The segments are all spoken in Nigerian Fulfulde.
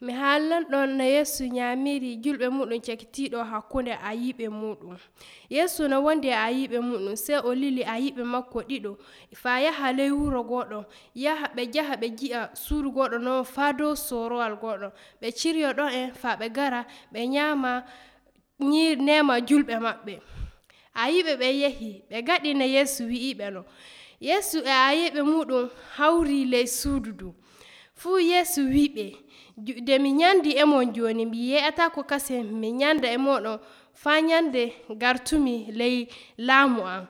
Mi haalan ɗon no Yeesu nyaamiri julɓe muɗum cakitiiɗo hakkunde ayiiɓe muɗum. Yeesu no wondi e ayiiɓe muɗum, sey o lili ayiiɓe makko ɗiɗo faa yaha ley wuro goɗɗo, ɓe njaha ɓe ngi'a suudu goɗɗo non faa dow soorowal goɗɗo. Ɓe ciryo ɗon faa ɓe ngara ɓe nyaama neema julɓe maɓɓe. Ayiiɓe ɓen yahi ɓe ngaɗi no Yeesu wi'iɓe non. Yeesu e ayiiɓe muɗum hawrii ley suudu ndun. Fuu Yeesu wi'iɓe, nde mi nyandi e mon jooni, mi yi'ataako kase mi nyanda e mooɗon faa nyande gartumi ley laamu am.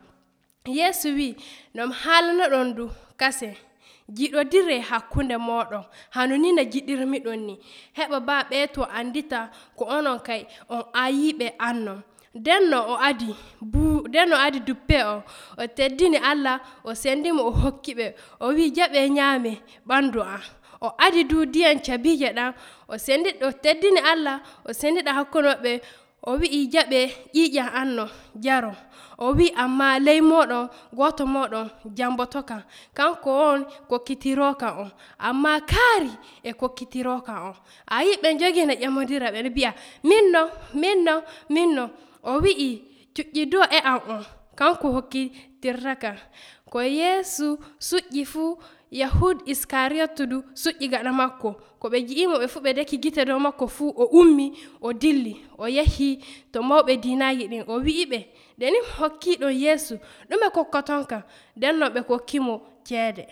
Yeesu wi'i, no mi haalana ɗon ndu kase, giɗodiree hakkunde mooɗon, hano ni no ngiɗirmiɗon ni, heɓa baa ɓeeto anndita ko onon kay on ayiiɓe an non. Ndenno o adi duppe o teddini Allah, o sendimo o hokkiɓe, o wi'i jaɓee nyaame ɓandu am. O adi du ndiyam cabiije ɗam, o teddini Allah, o sendida hakkunde maɓɓe, o wi'i jaɓee ƴiiƴam an non njaron. O wi'i ammaa ley mooɗon gooto mooɗon jamboto kam, kanko on kokkitirooka on, ammaa kaari e kokkitirooka on. Ayii ɓe njogii no ƴemondira ɓe mbi'a min non. O wi'i cuƴƴidoo e am on, kanko hokkitirtaka. Ko Yeesu suƴƴi fuu, Yahud Iskariyotu du suƴƴi gaɗa makko. Ko ɓe ngi'imo ɓe fuu ɓe deki gite dow makko fuu, o ummi o dilli o yahi to mawɓe diinaaji ɗin, o wi'iɓe, nde ni mi hokkiiɗon Yeesu ɗume kokkoton kam? Nden non ɓe kokkimo ceede.